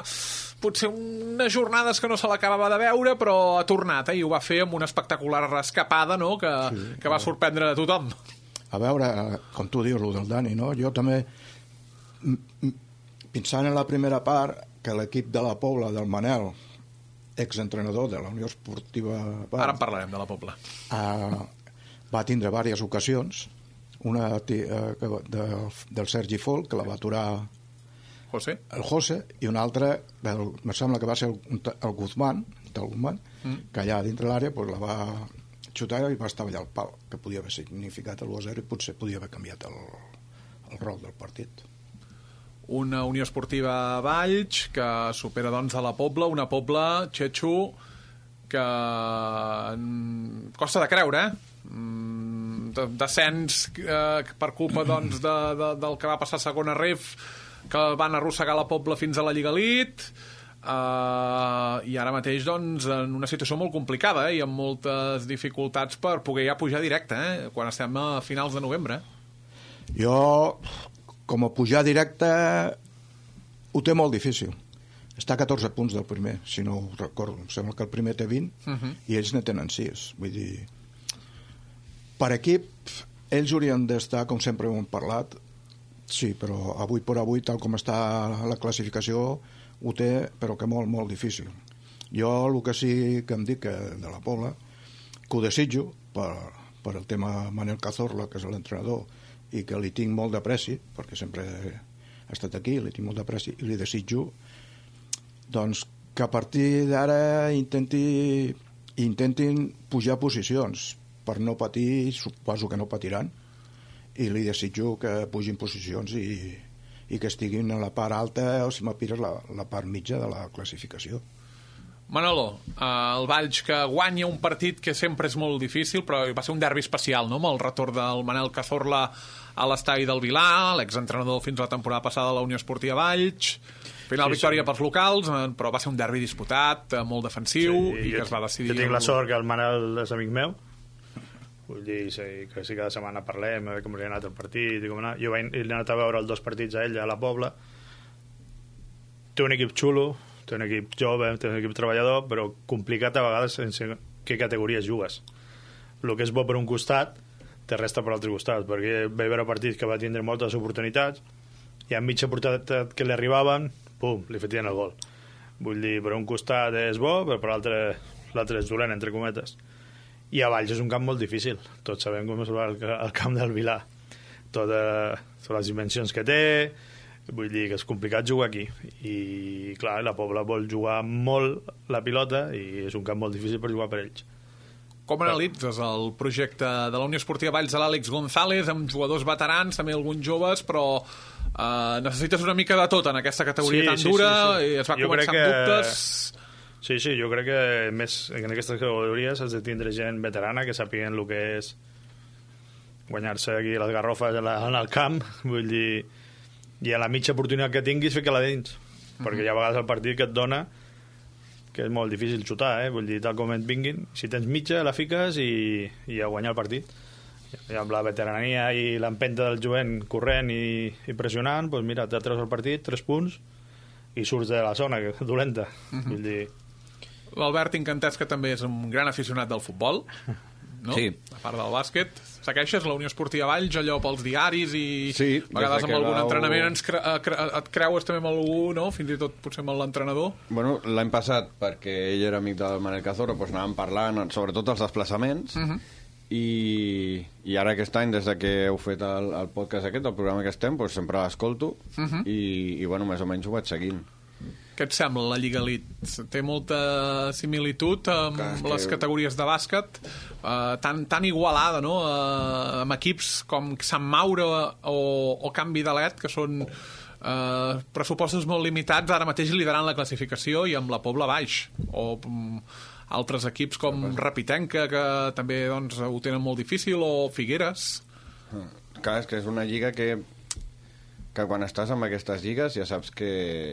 [SPEAKER 2] potser unes jornades que no se l'acabava de veure, però ha tornat, eh? I ho va fer amb una espectacular escapada, no?, que,
[SPEAKER 5] Sí,
[SPEAKER 2] que va sorprendre a tothom.
[SPEAKER 5] A veure, com tu dius, el del Dani, no? Jo també, pensant en la primera part, que l'equip de la Pobla, del Manel, exentrenador de la Unió Esportiva...
[SPEAKER 2] Ara en parlarem de la Pobla.
[SPEAKER 5] Uh, va tindre diverses ocasions, una uh, de, del Sergi Folk, que la va aturar
[SPEAKER 2] José?
[SPEAKER 5] el José, i una altra, del, me sembla que va ser el, el Guzmán, del Guzmán, mm. que allà dintre l'àrea pues, la va xutar i va estar allà al pal, que podia haver significat l'u a zero i potser podia haver canviat el, el rol del partit.
[SPEAKER 2] Una Unió Esportiva Valls que supera doncs a la Pobla, una Pobla, Xetxo, que costa de creure, eh? Descens eh, per culpa doncs, de, de, del que va passar a segona ref, que van arrossegar la Pobla fins a la Lliga Elite, eh, i ara mateix doncs, en una situació molt complicada, eh? I amb moltes dificultats per poder ja pujar directe, eh? Quan estem a finals de novembre.
[SPEAKER 5] Jo, com a pujar directe, ho té molt difícil. Està a catorze punts del primer, si no ho recordo. Em sembla que el primer té vint uh-huh. i ells ne tenen sis. Vull dir, per equip, ells haurien d'estar, com sempre ho hem parlat, sí, però avui per avui, tal com està la classificació, ho té, però que molt, molt difícil. Jo el que sí que em dic que de la Pobla, que ho desitjo per, per el tema Manel Cazorla, que és l'entrenador, i que li tinc molt d'apreci, perquè sempre ha estat aquí, li tinc molt d'apreci, i li desitjo doncs, que a partir d'ara intenti, intentin pujar posicions per no patir, suposo que no patiran, i li desitjo que pugin posicions i, i que estiguin a la part alta o, si m'apires, la, la part mitja de la classificació.
[SPEAKER 2] Manolo, eh, el Valls que guanya un partit que sempre és molt difícil, però va ser un derbi especial, no?, amb el retorn del Manel Cazorla a l'estadi del Vilar, l'exentrenador fins a la temporada passada de la Unió Esportiva Valls. Final sí, victòria sí. pels locals, però va ser un derbi disputat, molt defensiu, sí, i que es va decidir...
[SPEAKER 4] Jo tinc la sort que el Manel és amic meu, vull dir sí, que si cada setmana parlem, a veure com li ha anat el partit, i com anar. Jo vaig, he anat a veure els dos partits a ell, a la Pobla. Té un equip xulo, té un equip jove, té un equip treballador, però complicat a vegades sense què categories jugues. El que és bo per un costat, te resta per l'altre costat, perquè vaig veure partits que va tindre moltes oportunitats, i a mitja oportunitat que li arribaven, pum, li fetien el gol. Vull dir, per un costat és bo, però per l'altre l'altre és dolent, entre cometes. I a Valls és un camp molt difícil. Tots sabem com és el, el camp del Vilar. Totes les dimensions que té, vull dir que és complicat jugar aquí. I, clar, la Pobla vol jugar molt la pilota i és un camp molt difícil per jugar per ells.
[SPEAKER 2] Com analitzes el projecte de la Unió Esportiva Valls de l'Àlex González, amb jugadors veterans, també alguns joves, però eh, necessites una mica de tot en aquesta categoria sí, tan
[SPEAKER 4] sí,
[SPEAKER 2] dura,
[SPEAKER 4] sí, sí.
[SPEAKER 2] i es va
[SPEAKER 4] jo
[SPEAKER 2] començar
[SPEAKER 4] que...
[SPEAKER 2] amb dubtes...
[SPEAKER 4] Sí, sí, jo crec que més en aquestes categories has de tindre gent veterana que sàpiguen el que és guanyar-se aquí les garrofes en, la, en el camp, vull dir, i a la mitja oportunitat que tinguis fica-la dins, uh-huh. perquè hi ha vegades el partit que et dona que és molt difícil xutar, eh? Vull dir, tal com et vinguin, si tens mitja la fiques i, i a guanyar el partit. I amb la veterania i l'empenta del jovent corrent i, i pressionant, doncs mira, te treus el partit, tres punts i surts de la zona, que és dolenta. Uh-huh. Vull dir...
[SPEAKER 2] L'Albert Incantès, que també és un gran aficionat del futbol, no?
[SPEAKER 3] Sí.
[SPEAKER 2] A part del bàsquet. Segueixes la Unió Esportiva Valls, allò pels diaris i
[SPEAKER 3] sí,
[SPEAKER 2] a vegades amb algun
[SPEAKER 3] vau...
[SPEAKER 2] entrenament ens cre cre et creues també amb algú, no? Fins i tot potser amb l'entrenador.
[SPEAKER 3] Bueno, l'any passat, perquè ell era amic del Manel Cazorla, doncs anàvem parlant, sobretot els desplaçaments, uh-huh. i, i ara aquest any, des de que heu fet el, el podcast aquest, el programa que estem, doncs sempre l'escolto, uh-huh. i, i bueno, més o menys ho vaig seguint.
[SPEAKER 2] Què et sembla la Lliga Elite? Té molta similitud amb
[SPEAKER 3] Clar, és que-
[SPEAKER 2] les categories de bàsquet, eh, tan, tan igualada, no? Eh, amb equips com Sant Maure o, o Can Vidalet, que són eh, pressupostos molt limitats, ara mateix liderant la classificació, i amb la Pobla baix, o mm, altres equips com Rapitenca, que també doncs, ho tenen molt difícil, o Figueres.
[SPEAKER 3] Clar, és que és una lliga que, que quan estàs en aquestes lligues ja saps que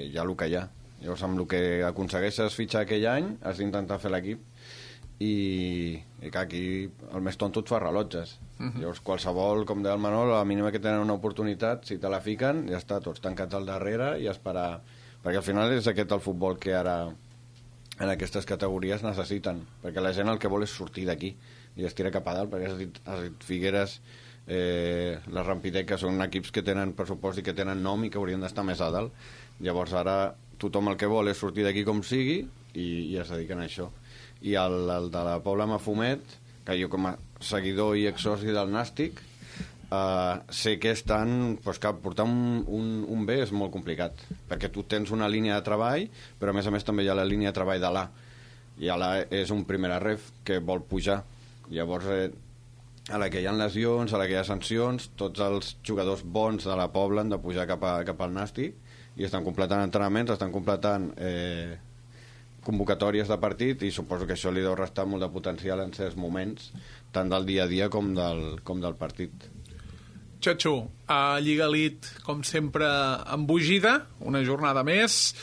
[SPEAKER 3] hi ha el que hi ha. Llavors, amb el que aconsegueixes fitxar aquell any, has d'intentar fer l'equip, i, i que aquí el més tonto et fa rellotges. Uh -huh. Llavors, qualsevol, com deia el Manol, a la mínima que tenen una oportunitat, si te la fiquen, ja està, tots tancats al darrere i esperar. Perquè al final és aquest el futbol que ara en aquestes categories necessiten, perquè la gent el que vol és sortir d'aquí i es tira cap a dalt, perquè has dit, has dit Figueres, eh, la Rampideca són equips que tenen pressupost i que tenen nom i que haurien d'estar més a dalt. Llavors ara tothom el que vol és sortir d'aquí com sigui i, i es dediquen a això. I el, el de la Pobla Mafumet, que jo com a seguidor i exsoci del Nàstic, Uh, sé que estan, pues, que portar un, un, un B és molt complicat, perquè tu tens una línia de treball, però a més a més també hi ha la línia de treball de l'A, i l'A és un primer ref que vol pujar. Llavors, eh, a la que hi ha lesions, a la que hi ha sancions, tots els jugadors bons de la Pobla han de pujar cap, a, cap al Nàstic, i estan completant entrenaments, estan completant eh, convocatòries de partit, i suposo que això li deu restar molt de potencial en certs moments, tant del dia a dia com del, com del partit.
[SPEAKER 2] Xatxo, a Lliga Elite, com sempre, embogida, una jornada més,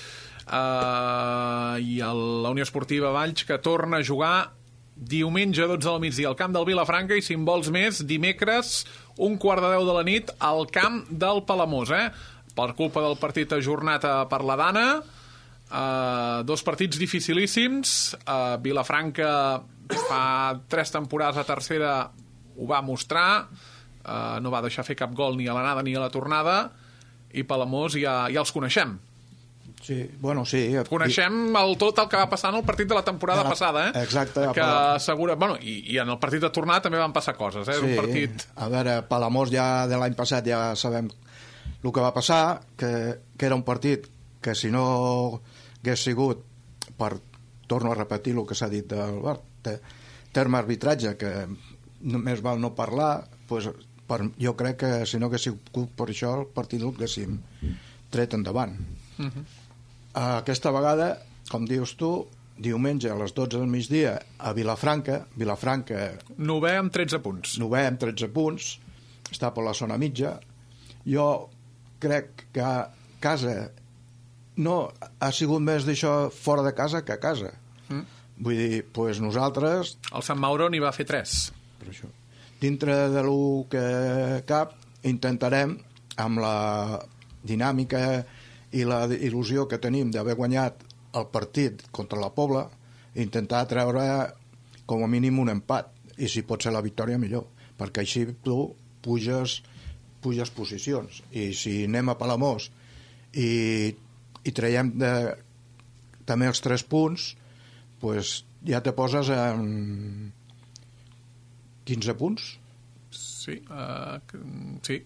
[SPEAKER 2] uh, i el, la Unió Esportiva Valls, que torna a jugar diumenge a dotze del migdia al camp del Vilafranca, i si en vols més, dimecres, un quart de deu de la nit, al camp del Palamós, eh? Per culpa del partit ajornat per la Dana, uh, dos partits dificilíssims, uh, Vilafranca fa tres temporades a tercera ho va mostrar, Uh, no va deixar fer cap gol ni a l'anada ni a la tornada, i Palamós ja, ja els coneixem.
[SPEAKER 5] Sí, bueno, sí.
[SPEAKER 2] Coneixem el, tot el que va passar en el partit de la temporada
[SPEAKER 5] de la,
[SPEAKER 2] passada, eh?
[SPEAKER 5] Exacte.
[SPEAKER 2] Que segura, bueno, i, i en el partit de tornada també van passar coses, eh?
[SPEAKER 5] Sí,
[SPEAKER 2] un partit...
[SPEAKER 5] a veure, Palamós ja de l'any passat ja sabem el que va passar, que, que era un partit que si no hagués sigut per, torno a repetir el que s'ha dit del terme arbitratge, que només val no parlar, pues, per, jo crec que si no hagués sigut per això el partit el haguéssim tret endavant. Uh -huh. Aquesta vegada, com dius tu, diumenge a les dotze del migdia a Vilafranca, Vilafranca
[SPEAKER 2] novè amb tretze punts.
[SPEAKER 5] Novè amb tretze punts, està per la zona mitja. Jo crec que a casa no ha sigut més d'això fora de casa que a casa. Mm. Vull dir, pues nosaltres...
[SPEAKER 2] El Sant Mauro n'hi va fer tres.
[SPEAKER 5] Per això. Dintre de lo que cap, intentarem, amb la dinàmica i la il·lusió que tenim d'haver guanyat el partit contra la Pobla, intentar treure com a mínim un empat, i si pot ser la victòria millor, perquè així tu puges, puges posicions, i si anem a Palamós i, i traiem de, també els tres punts, pues ja te poses en quinze punts.
[SPEAKER 2] Sí, uh, sí.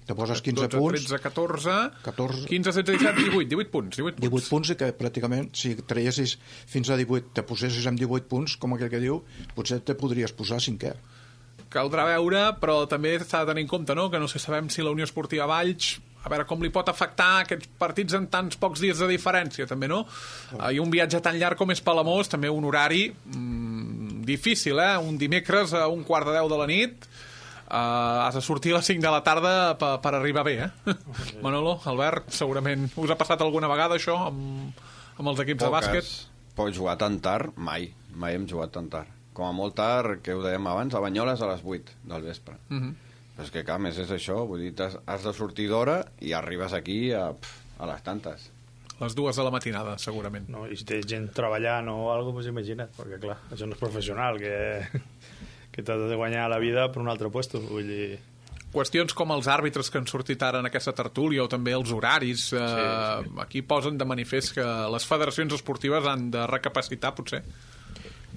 [SPEAKER 5] Te poses quinze
[SPEAKER 2] dotze,
[SPEAKER 5] punts.
[SPEAKER 2] tretze, catorze,
[SPEAKER 5] catorze,
[SPEAKER 2] quinze, setze, disset, divuit, divuit punts. divuit punts,
[SPEAKER 5] divuit punts, i que pràcticament, si traiessis fins a divuit, te posessis amb divuit punts, com aquell que diu, potser te podries posar cinquè.
[SPEAKER 2] Caldrà veure, però també s'ha de tenir en compte, no?, que no sé, sabem si la Unió Esportiva Valls, a veure com li pot afectar aquests partits en tants pocs dies de diferència, també, no? Oh. I un viatge tan llarg com és Palamós, també un horari mmm, difícil, eh? Un dimecres a un quart de deu de la nit, Uh, has de sortir a les cinc de la tarda per, per arribar bé, eh? Okay. Manolo, Albert, segurament us ha passat alguna vegada això amb, amb els equips
[SPEAKER 3] Poques.
[SPEAKER 2] de bàsquet?
[SPEAKER 3] Pots jugar tan tard? Mai. Mai hem jugat tan tard. Com a molt tard, que ho dèiem abans, a Banyoles a les vuit del vespre. Uh -huh. Però és que, clar, més és això, vull dir, has, has de sortir d'hora i arribes aquí a, pf, a les tantes.
[SPEAKER 2] Les dues de la matinada, segurament.
[SPEAKER 4] No, i si té gent treballant o alguna cosa, pues imagina't, perquè, clar, això no és professional, que... que t'has de guanyar la vida per un altre puesto, vull dir...
[SPEAKER 2] Qüestions com els àrbitres que han sortit ara en aquesta tertúlia, o també els horaris, eh, sí, sí. Aquí posen de manifest que les federacions esportives han de recapacitar, potser.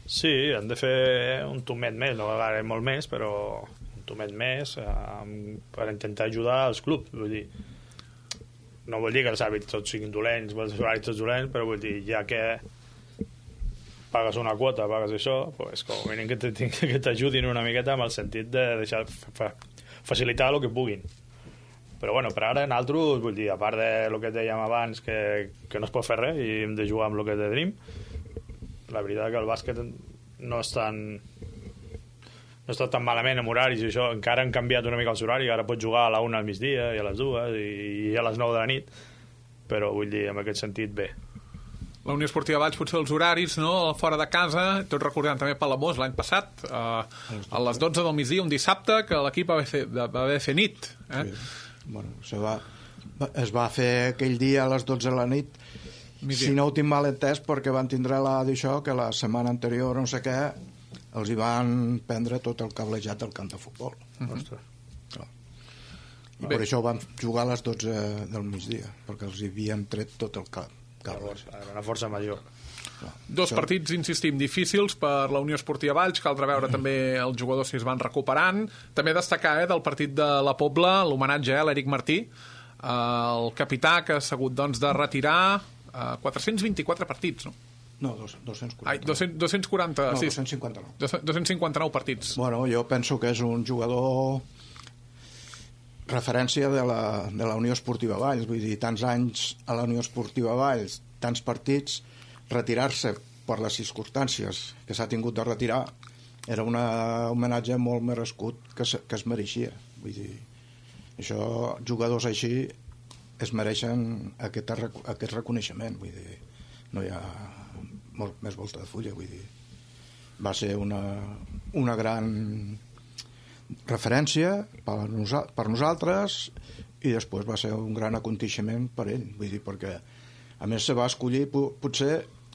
[SPEAKER 4] Sí, han de fer un tomet més, no ara molt més, però un tomet més eh, per intentar ajudar els clubs, vull dir... no vol dir que els hàbits tots siguin dolents, els horaris tots dolents, però vull dir, ja que pagues una quota, pagues això, pues, com a mínim que t'ajudin una miqueta amb el sentit de deixar fa, facilitar el que puguin. Però bueno, per ara nosaltres, vull dir, a part de lo que dèiem abans, que, que no es pot fer res i hem de jugar amb el que tenim, la veritat que el bàsquet no és tan no està tan malament amb horaris i això, encara han canviat una mica els horaris, ara pots jugar a la una al migdia i a les dues i, i a les nou de la nit, però vull dir, en aquest sentit, bé.
[SPEAKER 2] La Unió Esportiva Valls, potser els horaris, no?, fora de casa, tot recordant també Palamós l'any passat, eh, a les dotze del migdia, un dissabte, que l'equip va haver fer, va haver fer nit. Eh?
[SPEAKER 5] Sí. Bueno, se va, es va fer aquell dia a les dotze de la nit, migdia. Si no ho tinc mal entès, perquè van tindre la d'això, que la setmana anterior, no sé què, els hi van prendre tot el cablejat del camp de futbol. Uh-huh. Ostres. Clar. I per això van jugar a les dotze del migdia, perquè els hi havien tret tot el cap.
[SPEAKER 4] Era una força major.
[SPEAKER 2] Dos això... partits, insistim, difícils per la Unió Esportiva Valls, caldrà veure també els jugadors si es van recuperant. També destacar eh, del partit de la Pobla l'homenatge a l'Eric Martí, eh, el capità que ha hagut doncs, de retirar eh, quatre-cents vint-i-quatre partits, no?
[SPEAKER 5] No, dos-cents quaranta.
[SPEAKER 2] Ai, dos-cents, dos-cents quaranta,
[SPEAKER 5] no,
[SPEAKER 2] sí.
[SPEAKER 5] dos-cents cinquanta-nou.
[SPEAKER 2] dos-cents cinquanta-nou partits.
[SPEAKER 5] Bueno, jo penso que és un jugador referència de la, de la Unió Esportiva Valls, vull dir, tants anys a la Unió Esportiva Valls, tants partits, retirar-se per les circumstàncies que s'ha tingut de retirar era un homenatge molt merescut que, se, que es mereixia. Vull dir, això, jugadors així es mereixen aquest, aquest reconeixement, vull dir, no hi ha molt més volta de fulla, vull dir, va ser una, una gran referència per, nosa, per nosaltres i després va ser un gran aconteixement per ell, vull dir, perquè a més se va escollir potser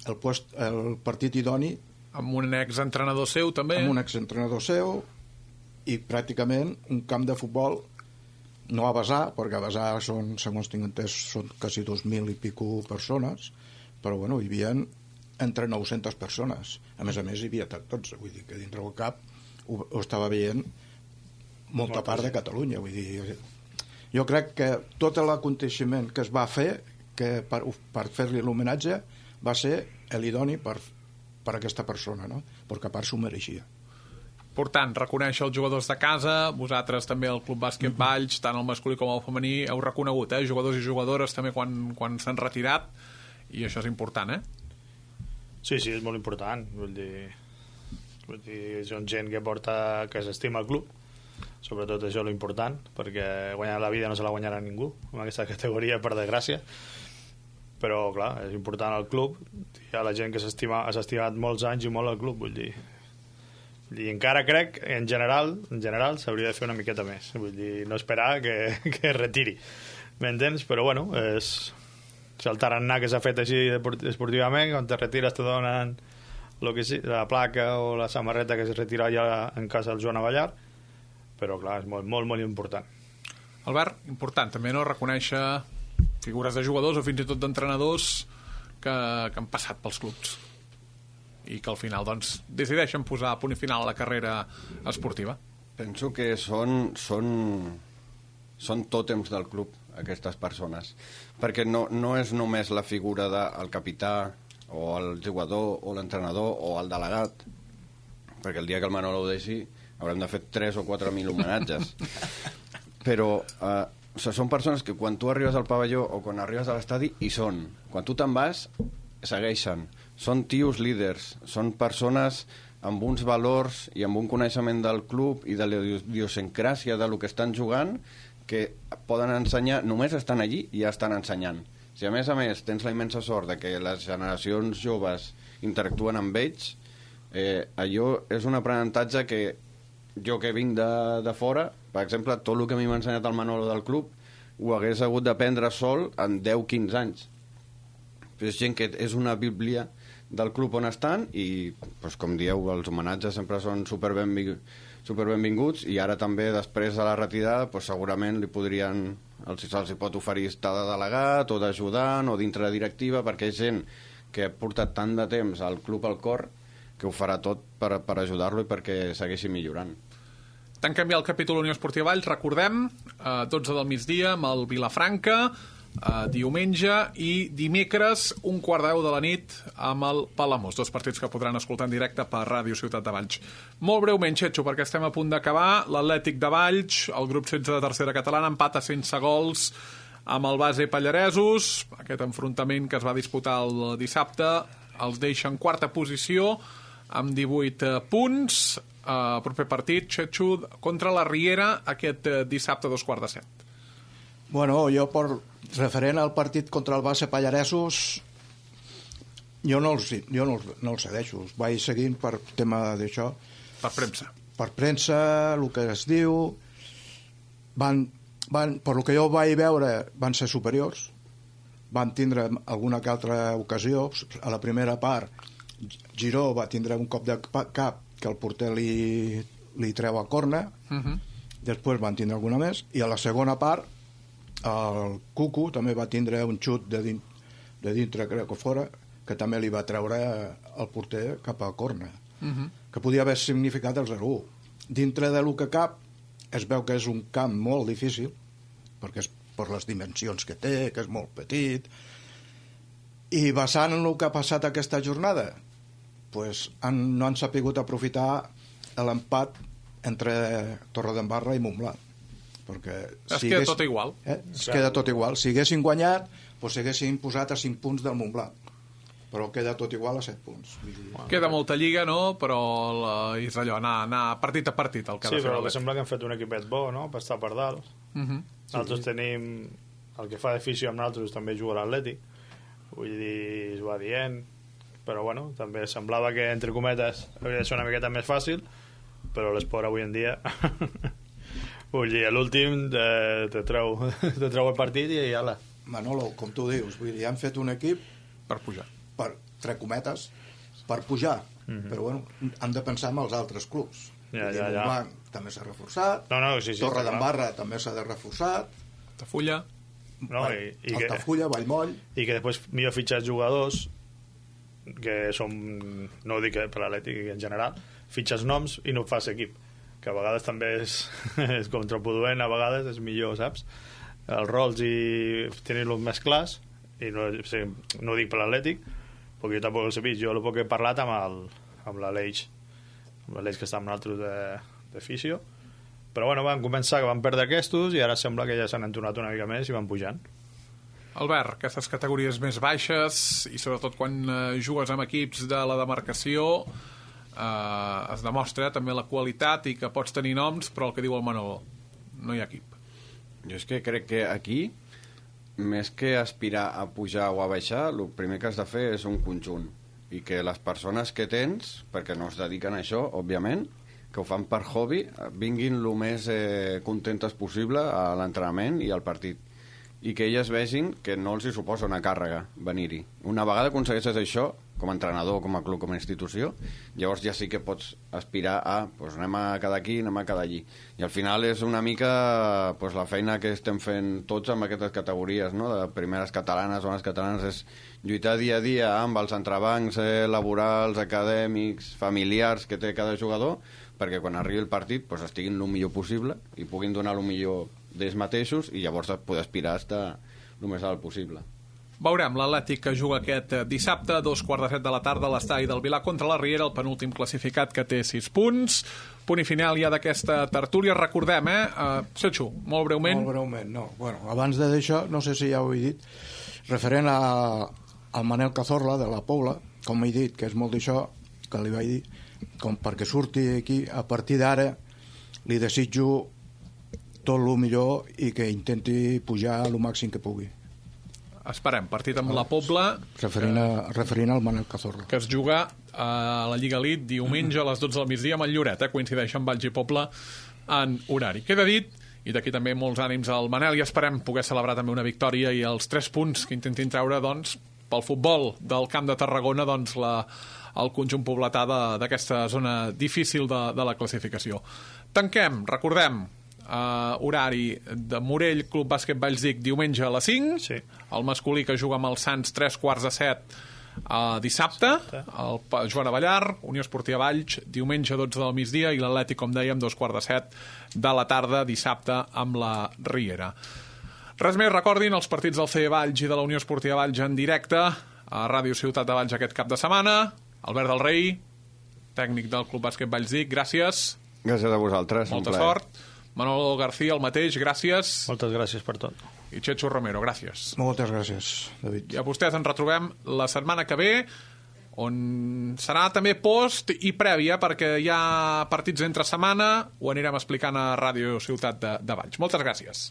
[SPEAKER 5] el, post, el partit idoni
[SPEAKER 2] amb un exentrenador seu també
[SPEAKER 5] amb un exentrenador seu i pràcticament un camp de futbol no a Besar, perquè a Besar són, segons tinc entès, són quasi dos mil i pico persones, però bueno, hi havia entre nou-centes persones, a més a més hi havia tots, vull dir que dintre del cap ho, ho estava veient molta part de Catalunya, vull dir, jo crec que tot l'aconteixement que es va fer que per, per fer-li l'homenatge va ser l'idoni per, per aquesta persona, no? Perquè a part s'ho mereixia.
[SPEAKER 2] Per tant, reconèixer els jugadors de casa, vosaltres també el Club Bàsquet mm-hmm. Valls, tant el masculí com el femení, heu reconegut, eh? Jugadors i jugadores també quan, quan s'han retirat, i això és important, eh?
[SPEAKER 4] Sí, sí, és molt important, vull dir, vull dir són gent que porta, que s'estima el club, sobretot això és l'important, perquè guanyar la vida no se la guanyarà ningú en aquesta categoria, per desgràcia, però clar, és important el club, hi ha la gent que s'ha estimat molts anys i molt el club, vull dir, i encara crec, en general en general s'hauria de fer una miqueta més, vull dir, no esperar que, que es retiri, m'entens? Però bueno, és el tarannà que s'ha fet així esportivament, quan te retires te donen lo que sí, la placa o la samarreta que es retira ja en casa del Joan Avellar, però clar, és molt, molt, molt important.
[SPEAKER 2] Albert, important també, no?, reconèixer figures de jugadors o fins i tot d'entrenadors que, que han passat pels clubs i que al final, doncs, decideixen posar punt i final a la carrera esportiva.
[SPEAKER 3] Penso que són, són, són tòtems del club, aquestes persones, perquè no, no és només la figura del capità o el jugador o l'entrenador o el delegat, perquè el dia que el Manolo ho deixi haurem de fer tres o quatre mil homenatges. Però eh, o sigui, són persones que quan tu arribes al pavelló o quan arribes a l'estadi hi són. Quan tu te'n vas, segueixen. Són tios líders, són persones amb uns valors i amb un coneixement del club i de l'idiosincràsia de lo que estan jugant que poden ensenyar, només estan allí i ja estan ensenyant. Si a més a més tens la immensa sort de que les generacions joves interactuen amb ells, eh, allò és un aprenentatge que jo que vinc de, de fora, per exemple, tot el que a mi m'ha ensenyat el Manolo del club ho hagués hagut d'aprendre sol en deu a quinze anys. És gent que és una bíblia del club on estan i, doncs, com dieu, els homenatges sempre són super benvinguts, super benvinguts i ara també després de la retirada doncs, segurament li podrien, els, se'ls pot oferir estar de delegat o d'ajudant o dintre de directiva, perquè és gent que ha portat tant de temps al club al cor que ho farà tot per, per ajudar-lo i perquè segueixi millorant.
[SPEAKER 2] Tant canviar el capítol Unió Esportiva Valls, recordem, eh, dotze del migdia amb el Vilafranca, uh, diumenge, i dimecres un quart de deu de la nit amb el Palamós, dos partits que podran escoltar en directe per Ràdio Ciutat de Valls. Molt breument, Xetxo, perquè estem a punt d'acabar, l'Atlètic de Valls, el grup setze de tercera catalana, empata sense gols amb el base Pallaresos. Aquest enfrontament que es va disputar el dissabte els deixa en quarta posició amb divuit punts. Uh, proper partit, Xetxo, contra la Riera aquest uh, dissabte a dos quarts de set.
[SPEAKER 5] Bueno, jo per referent al partit contra el base Pallaresos, jo no els, jo no els, no els cedeixo, els vaig seguint per tema d'això.
[SPEAKER 2] Per premsa.
[SPEAKER 5] Per premsa, el que es diu, van, van, per lo que jo vaig veure, van ser superiors, van tindre alguna que altra ocasió. A la primera part, Giró va tindre un cop de cap que el porter li, li treu a corna, uh-huh. Després van tindre alguna més, i a la segona part el Cucu també va tindre un xut de, din, de dintre, crec que fora, que també li va treure el porter cap a corna, uh-huh. Que podia haver significat el zero u. Dintre de lo que cap es veu que és un camp molt difícil, perquè és per les dimensions que té, que és molt petit, i basant en el que ha passat aquesta jornada, pues han, no han sapigut aprofitar l'empat entre Torredembarra i Montblanc, perquè
[SPEAKER 2] es si queda hagués, tot igual
[SPEAKER 5] eh? es queda tot igual. Si haguessin guanyat, pues s'haguessin posat a cinc punts del Montblanc, però queda tot igual a set punts.
[SPEAKER 2] Bueno, queda molta lliga, no? Però la, és allò, anar, anar partit a partit el que
[SPEAKER 4] sí, però que sembla que han fet un equipet bo, no?, per estar per dalt. Uh-huh. Nosaltres sí. Tenim el que fa d'afició amb nosaltres, també juga l'Atlètic, vull dir, es va dient, però bueno, també semblava que, entre cometes, havia de ser una miqueta més fàcil, però l'esport avui en dia vull dir, l'últim te, te, treu, te treu el partit i ala.
[SPEAKER 5] Manolo, com tu dius, vull dir, han fet un equip
[SPEAKER 2] per pujar,
[SPEAKER 5] per, entre cometes, per pujar, mm-hmm. Però bueno, han de pensar en els altres clubs.
[SPEAKER 4] Ja, ja, ja.
[SPEAKER 5] Montblanc també s'ha reforçat,
[SPEAKER 4] no, no, sí, sí,
[SPEAKER 5] Torredembarra també s'ha de reforçar,
[SPEAKER 2] Altafulla,
[SPEAKER 4] no, i, i
[SPEAKER 5] Altafulla,
[SPEAKER 4] que,
[SPEAKER 5] Vallmoll,
[SPEAKER 4] i que després millor fitxar jugadors que són, no ho dic per l'Atlètic en general, fitxes noms i no fas equip, que a vegades també és, és contraproduent, a vegades és millor, saps? Els rols i tenir-los més clars, i no, sí, no ho dic per l'Atlètic, perquè jo tampoc els he vist, jo el poc he parlat amb, el, amb l'Aleix, amb l'Aleix que està amb nosaltres de, de fisio, però bueno, van començar que van perdre aquests i ara sembla que ja s'han entonat una mica més i van pujant.
[SPEAKER 2] Albert, aquestes categories més baixes i sobretot quan eh, jugues amb equips de la demarcació eh, es demostra també la qualitat i que pots tenir noms, però el que diu el Manolo, no hi ha equip.
[SPEAKER 3] Jo és que crec que aquí, més que aspirar a pujar o a baixar, el primer que has de fer és un conjunt, i que les persones que tens, perquè no es dediquen a això, òbviament, que ho fan per hobby, vinguin el més eh, contentes possible a l'entrenament i al partit, i que elles vegin que no els hi suposa una càrrega venir-hi. Una vegada aconsegueixes això, com a entrenador, com a club, com a institució, llavors ja sí que pots aspirar a, pues, anem a cada aquí, anem a cada allí. I al final és una mica pues, la feina que estem fent tots amb aquestes categories, no? De primeres catalanes, zones catalanes, és lluitar dia a dia amb els entrebancs eh, laborals, acadèmics, familiars que té cada jugador, perquè quan arribi el partit pues, estiguin el millor possible i puguin donar el millor d'ells mateixos i llavors poder aspirar a estar el més alt possible.
[SPEAKER 2] Veurem l'Atlètic que juga aquest dissabte a dos quarts de set de la tarda a l'estadi del Vilar contra la Riera, el penúltim classificat que té sis punts. Punt i final ja d'aquesta tertúlia. Recordem, eh? Uh, Setxo, molt breument.
[SPEAKER 5] Molt breument, no. Bueno, abans de d'això, no sé si ja ho he dit, referent a, al Manel Cazorla de la Pobla, com he dit, que és molt d'això que li vaig dir, com perquè surti aquí, a partir d'ara li desitjo tot el millor i que intenti pujar el màxim que pugui.
[SPEAKER 2] Esperem, partit amb la Pobla
[SPEAKER 5] referint, a, referint al Manel Cazorla,
[SPEAKER 2] que es juga a la Lliga Elite diumenge a les dotze del migdia amb el Lloret, eh? Coincideix amb Valls i Pobla en horari. Queda dit, i d'aquí també molts ànims al Manel, i esperem poder celebrar també una victòria i els tres punts que intentin treure doncs, pel futbol del Camp de Tarragona doncs, la, el conjunt pobletà d'aquesta zona difícil de, de la classificació. Tanquem, recordem, Uh, horari de Morell, Club Bàsquet Vallsdic, diumenge a les cinc,
[SPEAKER 4] sí.
[SPEAKER 2] El masculí que juga amb els Sants tres quarts de set uh, dissabte, el Joan Avellar, Unió Esportiva Valls, diumenge a dotze del migdia, i l'Atlètic, com dèiem, dos quarts de set de la tarda dissabte amb la Riera. Res més, recordin els partits del C E Valls i de la Unió Esportiva Valls en directe a Ràdio Ciutat de Valls aquest cap de setmana. Albert del Rei, tècnic del Club Bàsquet Valls Dic, gràcies.
[SPEAKER 3] Gràcies a vosaltres.
[SPEAKER 2] Molta sort. Manolo García, el mateix, gràcies.
[SPEAKER 4] Moltes gràcies per tot.
[SPEAKER 2] I Chechu Romero, gràcies.
[SPEAKER 5] Moltes gràcies, David.
[SPEAKER 2] I a vostès ens retrobem la setmana que ve, on serà també post i prèvia, perquè hi ha partits entre setmana, ho anirem explicant a Ràdio Ciutat de, de Valls. Moltes gràcies.